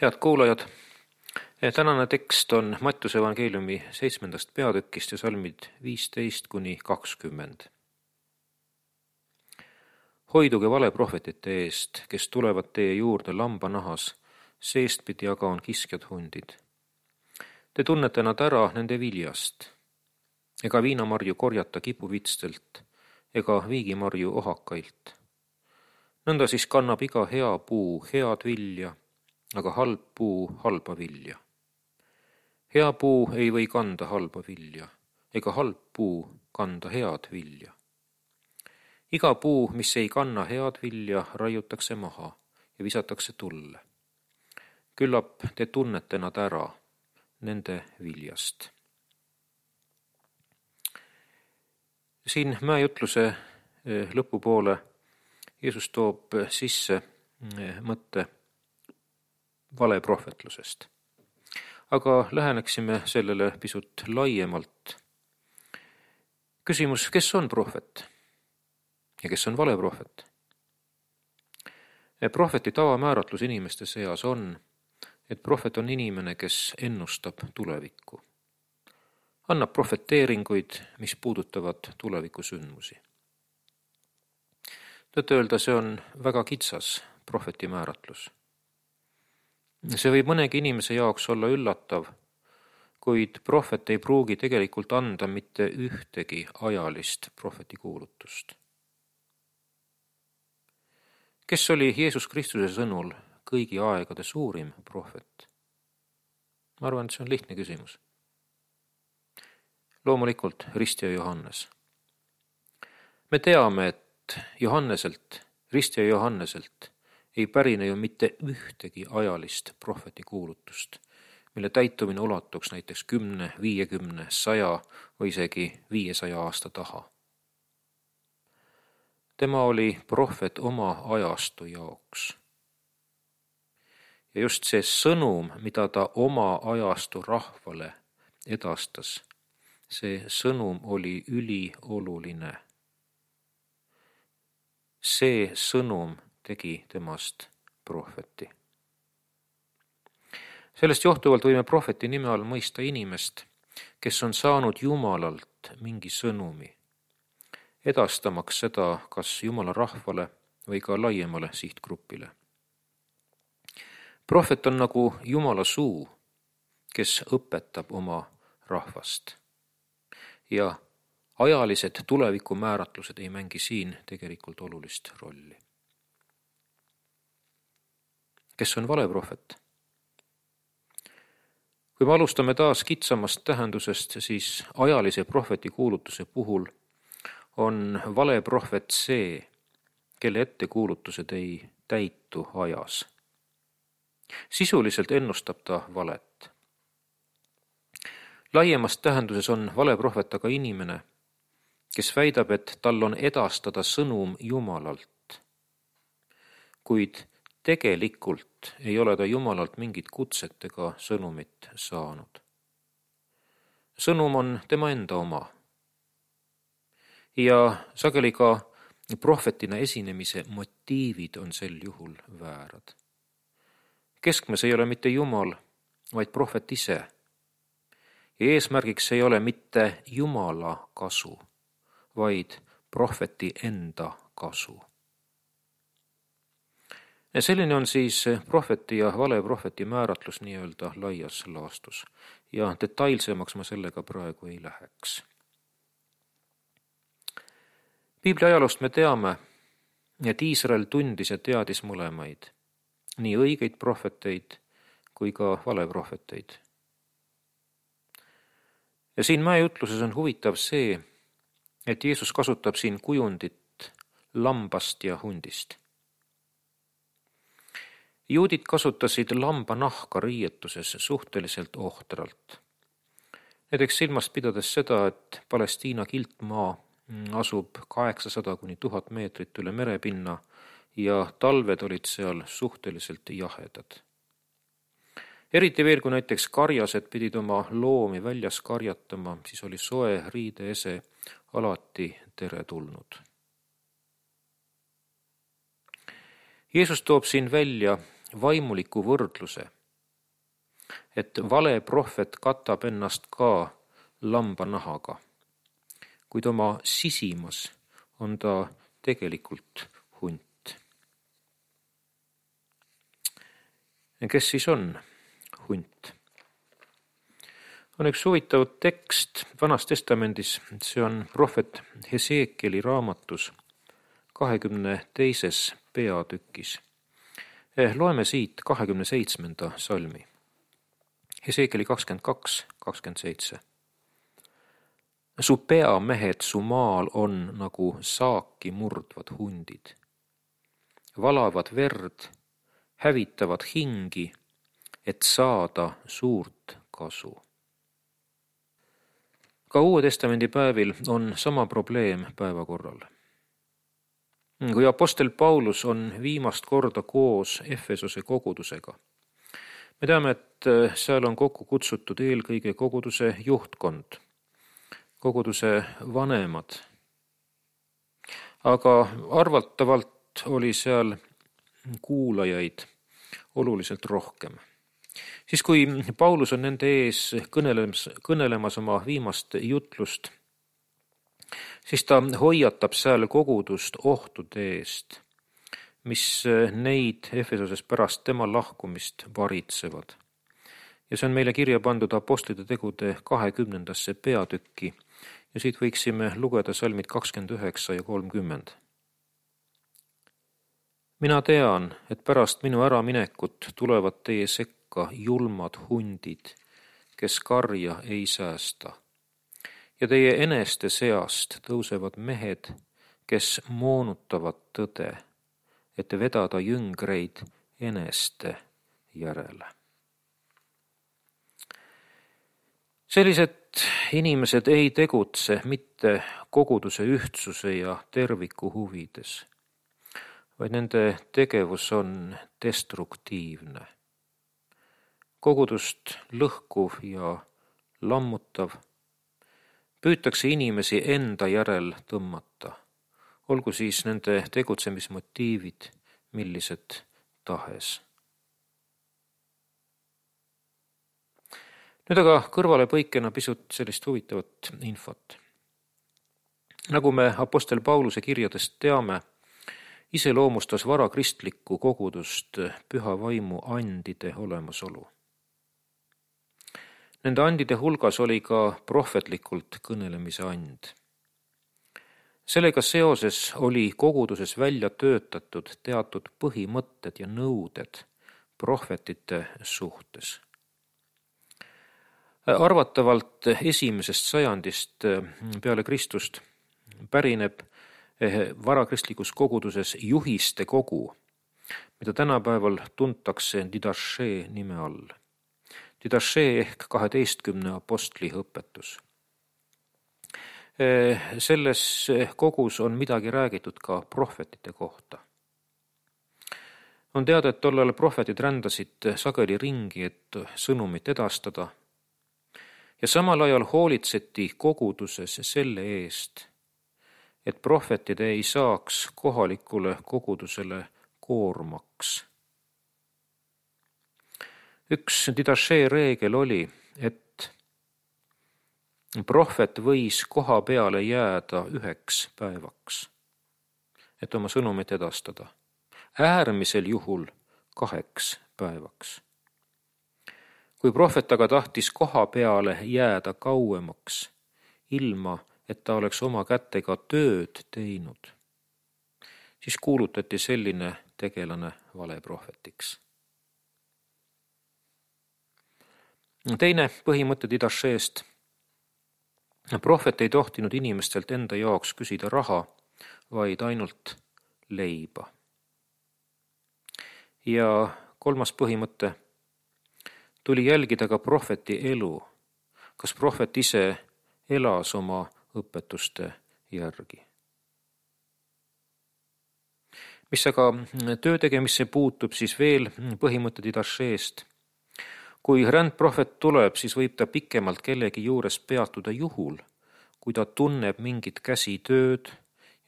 Head kuulajad, tänane tekst on Mattiuse evangeeliumi 7. peatükist ja salmid 15–20. Hoiduge valeprohvetite eest, kes tulevad teie juurde lambanahas, seestpidi aga on kiskjad hundid. Te tunnete nad ära nende viljast. Ega viinamarju korjata kipuvitstelt, ega viigimarju ohakailt. Nõnda siis kannab iga hea puu head vilja, aga halb puu halba vilja. Hea puu ei või kanda halba vilja, ega halb puu kanda head vilja. Iga puu, mis ei kanna head vilja, raiutakse maha ja visatakse tulle. Küllap te tunnete nad ära nende viljast. Siin mäejutluse lõpupoole Jeesus toob sisse mõtte valeprohvetlusest. Aga läheneksime sellele pisut laiemalt. Küsimus, kes on prohvet ja kes on valeprohvet? Prohveti tavamääratlus inimeste seas on, et prohvet on inimene, kes ennustab tulevikku. Annab profeteeringuid, mis puudutavad tulevikusündmusi. Tõtt-öelda see on väga kitsas prohveti määratlus. See võib mõnegi inimese jaoks olla üllatav, kuid prohvet ei pruugi tegelikult anda mitte ühtegi ajalist prohveti kuulutust. Kes oli Jeesus Kristuse sõnul kõigi aegade suurim prohvet? Ma arvan, et see on lihtne küsimus. Loomulikult ristja Johannes. Me teame, et ristja Johanneselt ei pärine ju mitte ühtegi ajalist prohveti kuulutust, mille täitumine ulatuks näiteks 10, 50, 100 või isegi 500 aasta taha. Tema oli prohvet oma ajastu jaoks. Ja just see sõnum, mida ta oma ajastu rahvale edastas, see sõnum oli ülioluline. See sõnum tegi temast prohveti. Sellest johtuvalt võime prohveti nime all mõista inimest, kes on saanud Jumalalt mingi sõnumi, edastamaks seda kas Jumala rahvale või ka laiemale sihtgrupile. Prohvet on nagu Jumala suu, kes õpetab oma rahvast. Ja ajalised tulevikumääratlused ei mängi siin tegelikult olulist rolli. Kes on valeprohvet? Kui me alustame taas kitsamast tähendusest, siis ajalise prohveti kuulutuse puhul on valeprohvet see, kelle ettekuulutused ei täitu ajas. Sisuliselt ennustab ta valet. Laiemas tähenduses on valeprohvet aga inimene, kes väidab, et tal on edastada sõnum Jumalalt, kuid tegelikult ei ole ta Jumalalt mingit kutset ega sõnumit saanud. Sõnum on tema enda oma. Ja sageli ka prohvetina esinemise motiivid on sel juhul väärad. Keskmes ei ole mitte Jumal, vaid prohvet ise. Ja eesmärgiks ei ole mitte Jumala kasu, vaid prohveti enda kasu. Ja selline on siis prohveti ja valeprohveti määratlus nii-öelda laias laastus ja detailsemaks ma sellega praegu ei läheks. Piibli ajaloost me teame, et Iisrael tundis ja teadis mõlemaid, nii õigeid prohveteid kui ka valeprohveteid. Ja siin mäejutluses on huvitav see, et Jeesus kasutab siin kujundit lambast ja hundist. Juudid kasutasid lambanahka riietuses suhteliselt ohtralt. Näiteks silmast pidades seda, et Palestiina kiltmaa asub 800–1000 meetrit üle merepinna ja talved olid seal suhteliselt jahedad. Eriti veel, kui näiteks karjased pidid oma loomi väljas karjatama, siis oli soe riideese alati teretulnud. Jeesus toob siin välja vaimuliku võrdluse et vale prohvet katab ennast ka lambanahaga, kuid oma sisimas on ta tegelikult hunt. Kes siis on hunt? On üks huvitav tekst Vanas Testamendis, see on prohvet Hesekieli raamatus 22. peatükis. Loeme siit 27. salmi. Hesekieli 22:27. Su peamehed su maal on nagu saaki murdvad hundid. Valavad verd, hävitavad hingi, et saada suurt kasu. Ka Uue Testamendi päevil on sama probleem päevakorral. Kui apostel Paulus on viimast korda koos Efesose kogudusega, me teame, et seal on kokku kutsutud eelkõige koguduse juhtkond, koguduse vanemad. Aga arvatavalt oli seal kuulajaid oluliselt rohkem. Siis kui Paulus on nende ees kõnelemas oma viimast jutlust, siis ta hoiatab seal kogudust ohtude eest, mis neid Efesoses pärast tema lahkumist varitsevad. Ja see on meile kirja pandud Apostlite tegude 20. peatükki ja siit võiksime lugeda salmid 29 ja 30. Mina tean, et pärast minu äraminekut tulevad teie sekka julmad hundid, kes karja ei säästa. Ja teie eneste seast tõusevad mehed, kes moonutavad tõde, et vedada jüngreid eneste järele. Sellised inimesed ei tegutse mitte koguduse ühtsuse ja terviku huvides, vaid nende tegevus on destruktiivne. Kogudust lõhkuv ja lammutav, püütakse inimesi enda järel tõmmata, olgu siis nende tegutsemismotiivid millised tahes. Nüüd aga kõrvalepõikena pisut sellist huvitavat infot. Nagu me apostel Pauluse kirjadest teame, iseloomustas varakristlikku kogudust püha vaimu andide olemasolu. Nende andide hulgas oli ka prohvetlikult kõnelemise and. Sellega seoses oli koguduses välja töötatud teatud põhimõtted ja nõuded prohvetite suhtes. Arvatavalt 1. sajandist peale Kristust pärineb varakristlikus koguduses juhiste kogu, mida tänapäeval tuntakse Didache nime all. Didache ehk 12 apostli õpetus. Selles kogus on midagi räägitud ka prohvetite kohta. On teada, et tollal prohvetid rändasid sageli ringi, et sõnumit edastada, ja samal ajal hoolitseti koguduses selle eest, et prohvetid ei saaks kohalikule kogudusele koormaks. Üks Didache reegel oli, et prohvet võis koha peale jääda 1 päevaks, et oma sõnumit edastada. Äärmisel juhul 2 päevaks. Kui prohvet aga tahtis koha peale jääda kauemaks, ilma et ta oleks oma kätega tööd teinud, siis kuulutati selline tegelane valeprohvetiks. Teine põhimõte Didacheest. Prohvet ei tohtinud inimestelt enda jaoks küsida raha, vaid ainult leiba. Ja 3. põhimõte. Tuli jälgida ka prohveti elu, kas prohvet ise elas oma õpetuste järgi. Mis aga töö tegemisse puutub, siis veel põhimõte Didacheest. Kui rändprohvet tuleb, siis võib ta pikemalt kellegi juures peatuda juhul, kui ta tunneb mingit käsitööd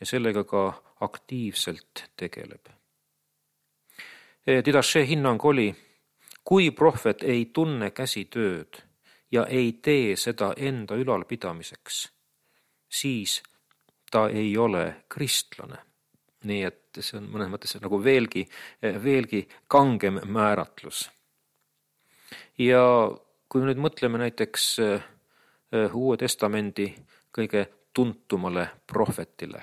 ja sellega ka aktiivselt tegeleb. Didache hinnang oli, kui prohvet ei tunne käsitööd ja ei tee seda enda ülalpidamiseks, siis ta ei ole kristlane. Nii et see on mõnes mõttes nagu veelgi kangem määratlus. Ja kui nüüd mõtleme näiteks Uue Testamendi kõige tuntumale prohvetile,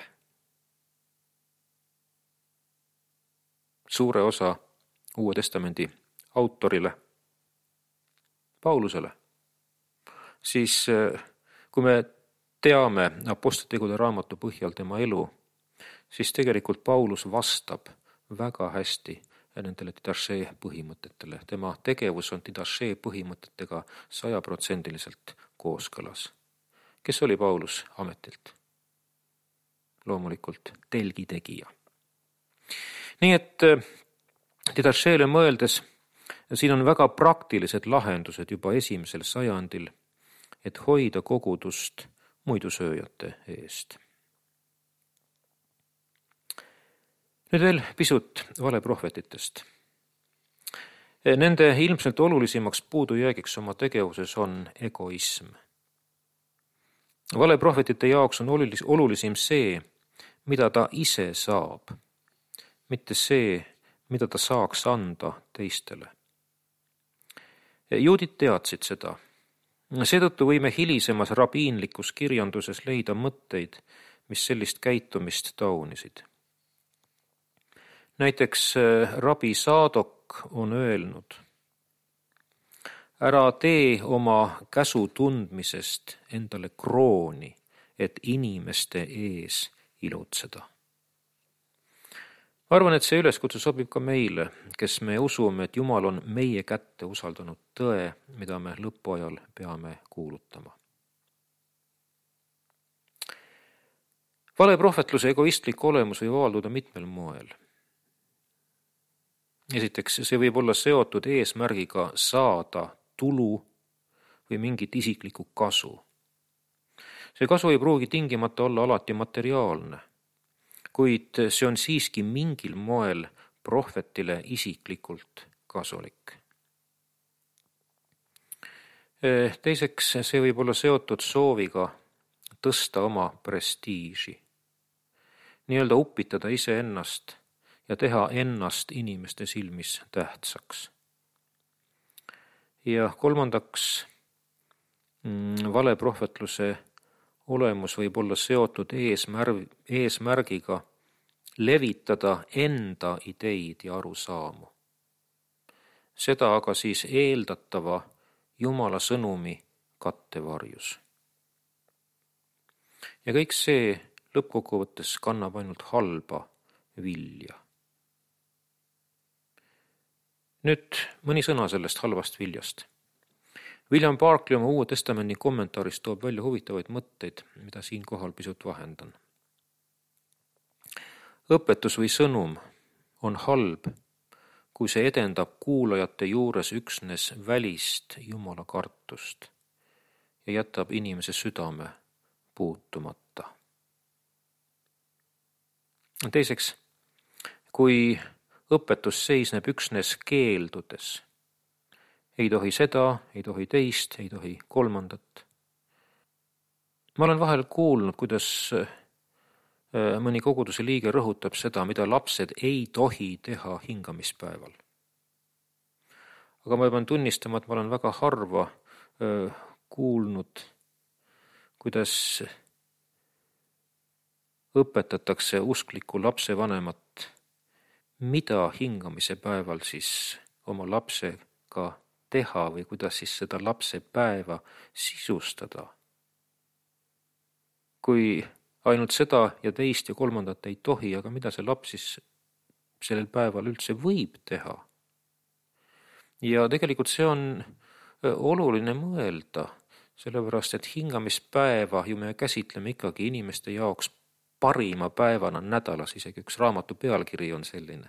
suure osa Uue Testamendi autorile, Paulusele, siis kui me teame Apostlitegude raamatu põhjal tema elu, siis tegelikult Paulus vastab väga hästi nendele Didache põhimõtetele. Tema tegevus on Didache põhimõtetega 100% kooskõlas. Kes oli Paulus ametilt? Loomulikult telgitegija. Nii et Didachele mõeldes, siin on väga praktilised lahendused juba 1. sajandil, et hoida kogudust muidusööjate eest. Nüüd veel pisut valeprohvetitest. Nende ilmselt olulisimaks puudujäägiks oma tegevuses on egoism. Valeprohvetite jaoks on olulisim see, mida ta ise saab, mitte see, mida ta saaks anda teistele. Juudid teadsid seda. Seetõttu võime hilisemas rabiinlikus kirjanduses leida mõtteid, mis sellist käitumist taunisid. Näiteks rabi Saadok on öelnud: ära tee oma käsu tundmisest endale krooni, et inimeste ees ilutseda. Ma arvan, et see üleskutse sobib ka meile, kes me usume, et Jumal on meie kätte usaldanud tõe, mida me lõpuajal peame kuulutama. Valeprohvetluse egoistlik olemus võib avalduda mitmel moel. Esiteks, see võib olla seotud eesmärgiga saada tulu või mingit isiklikku kasu. See kasu ei pruugi tingimata olla alati materiaalne, kuid see on siiski mingil moel prohvetile isiklikult kasulik. Teiseks, see võib olla seotud sooviga tõsta oma prestiiži, nii-öelda upitada iseennast ja teha ennast inimeste silmis tähtsaks. Ja kolmandaks, valeprohvetluse olemus võib olla seotud eesmärgiga levitada enda ideid ja arusaamu. Seda aga siis eeldatava Jumala sõnumi kattevarjus. Ja kõik see lõppkokkuvõttes kannab ainult halba vilja. Nüüd mõni sõna sellest halvast viljast. William Barclay oma Uue Testamendi kommentaaris toob välja huvitavaid mõtteid, mida siinkohal pisut vahendan. Õpetus või sõnum on halb, kui see edendab kuulajate juures üksnes välist Jumala kartust ja jätab inimese südame puutumata. Teiseks, kui õpetus seisneb üksnes keeldudes, ei tohi seda, ei tohi teist, ei tohi kolmandat. Ma olen vahel kuulnud, kuidas mõni koguduse liige rõhutab seda, mida lapsed ei tohi teha hingamispäeval. Aga ma pean tunnistama, et ma olen väga harva kuulnud, kuidas õpetatakse uskliku lapse vanemat, mida hingamise päeval siis oma lapsega teha või kuidas siis seda lapse päeva sisustada. Kui ainult seda ja teist ja kolmandat ei tohi, aga mida see laps siis sellel päeval üldse võib teha? Ja tegelikult see on oluline mõelda, sellepärast et hingamispäeva ju me käsitleme ikkagi inimeste jaoks parima päevana nädalas, isegi üks raamatu pealkiri on selline,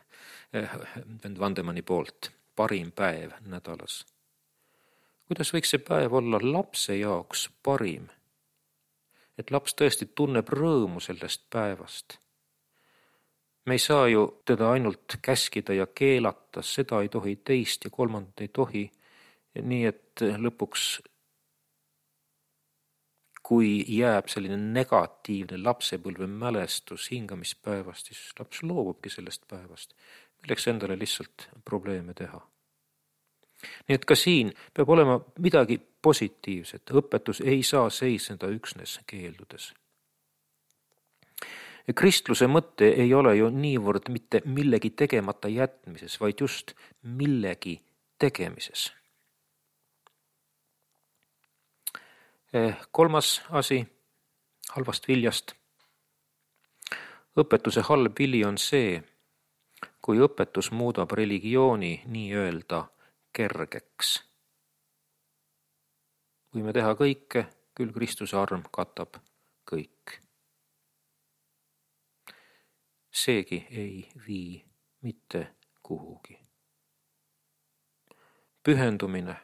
Vandemanni poolt, parim päev nädalas. Kuidas võiks see päev olla lapse jaoks parim? Et laps tõesti tunneb rõõmu sellest päevast. Me ei saa ju teda ainult käskida ja keelata, seda ei tohi, teist ja kolmandat ei tohi. Nii et lõpuks, kui jääb selline negatiivne lapsepõlve mälestus hingamispäevast, siis laps loobubki sellest päevast, milleks endale lihtsalt probleeme teha. Nii et ka siin peab olema midagi positiivset. Õpetus ei saa seisneda üksnes keeldudes. Kristluse mõte ei ole ju niivõrd mitte millegi tegemata jätmises, vaid just millegi tegemises. Kolmas asi halvast viljast. Õpetuse halb vili on see, kui õpetus muudab religiooni nii-öelda kergeks. Võime teha kõike, küll Kristuse arm katab kõik. Seegi ei vii mitte kuhugi. Pühendumine,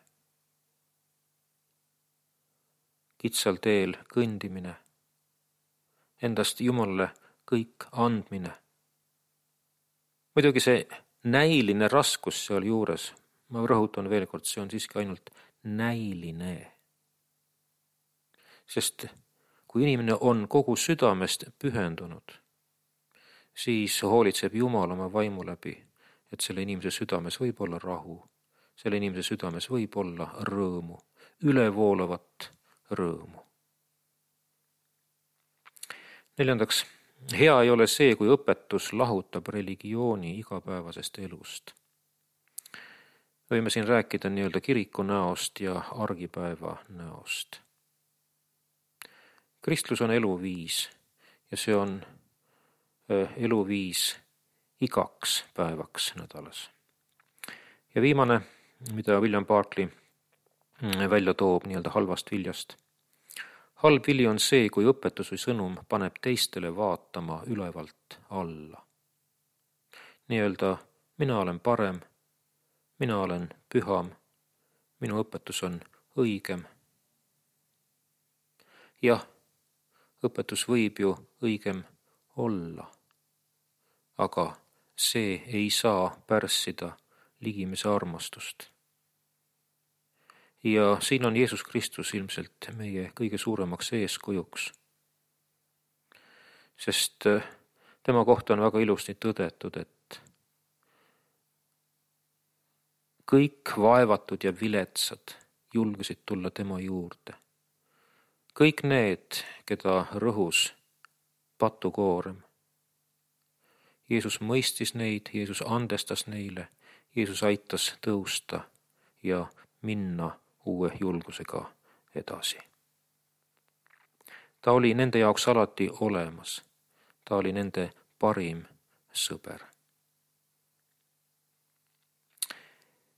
kitsal teel kõndimine, endast Jumalale kõik andmine. Muidugi see näiline raskus seal juures, ma rõhutan veel kord, see on siiski ainult näiline. Sest kui inimene on kogu südamest pühendunud, siis hoolitseb Jumal oma vaimu läbi, et selle inimese südames võib olla rahu, selle inimese südames võib olla rõõmu, ülevoolavat rõõmu. Neljandaks, hea ei ole see, kui õpetus lahutab religiooni igapäevasest elust. Võime siin rääkida nii-öelda kiriku näost ja argipäeva näost. Kristlus on eluviis ja see on eluviis igaks päevaks nädalas. Ja viimane, mida William Barclay välja toob nii-öelda halvast viljast. Halb vili on see, kui õpetus või sõnum paneb teistele vaatama ülevalt alla. Nii-öelda mina olen parem, mina olen püham, minu õpetus on õigem. Jah, õpetus võib ju õigem olla, aga see ei saa pärssida ligimese armastust. Ja siin on Jeesus Kristus ilmselt meie kõige suuremaks eeskujuks, sest tema kohta on väga ilusti tõdetud, et kõik vaevatud ja viletsad julgesid tulla tema juurde. Kõik need, keda rõhus patukoorem. Jeesus mõistis neid, Jeesus andestas neile, Jeesus aitas tõusta ja minna uue julgusega edasi. Ta oli nende jaoks alati olemas. Ta oli nende parim sõber.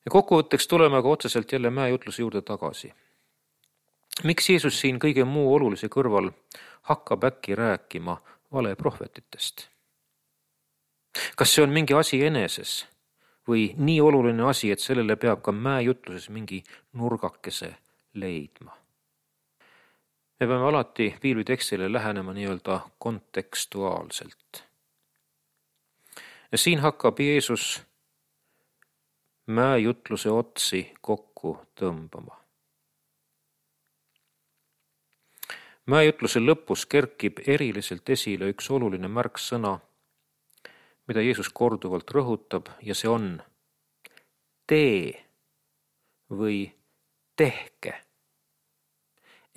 Ja kokkuvõtteks tuleme aga otseselt jälle mäejutluse juurde tagasi. Miks Jeesus siin kõige muu olulise kõrval hakkab äkki rääkima valeprohvetitest? Kas see on mingi asi eneses või nii oluline asi, et sellele peab ka mäejutluses mingi nurgakese leidma? Me peame alati piiblitekstile lähenema nii-öelda kontekstuaalselt. Ja siin hakkab Jeesus mäejutluse otsi kokku tõmbama. Mäejutluse lõpus kerkib eriliselt esile üks oluline märksõna, mida Jeesus korduvalt rõhutab, ja see on tee või tehke.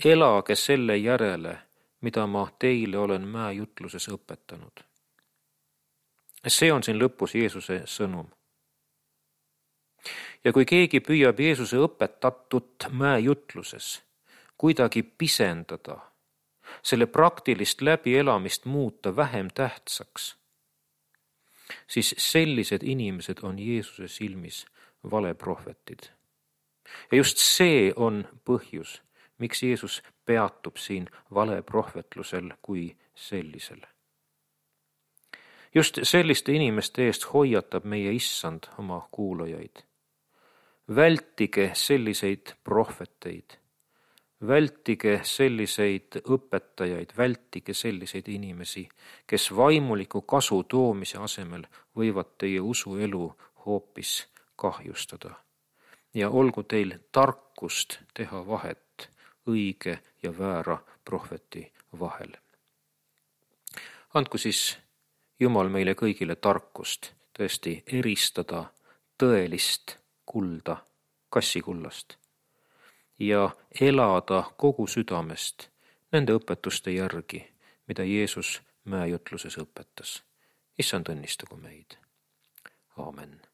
Elage selle järele, mida ma teile olen mäejutluses õpetanud. See on siin lõpus Jeesuse sõnum. Ja kui keegi püüab Jeesuse õpetatut mäejutluses kuidagi pisendada, selle praktilist läbielamist muuta vähem tähtsaks, siis sellised inimesed on Jeesuse silmis valeprohvetid. Ja just see on põhjus, miks Jeesus peatub siin valeprohvetlusel kui sellisel. Just selliste inimeste eest hoiatab meie Issand oma kuulajaid. Vältige selliseid prohveteid, Vältige selliseid õpetajaid, vältige selliseid inimesi, kes vaimuliku kasu toomise asemel võivad teie usuelu hoopis kahjustada. Ja olgu teil tarkust teha vahet õige ja väära prohveti vahel. Andku siis Jumal meile kõigile tarkust tõesti eristada tõelist kulda kassikullast ja elada kogu südamest nende õpetuste järgi, mida Jeesus mäejutluses õpetas. Issand õnnistagu meid. Aamen.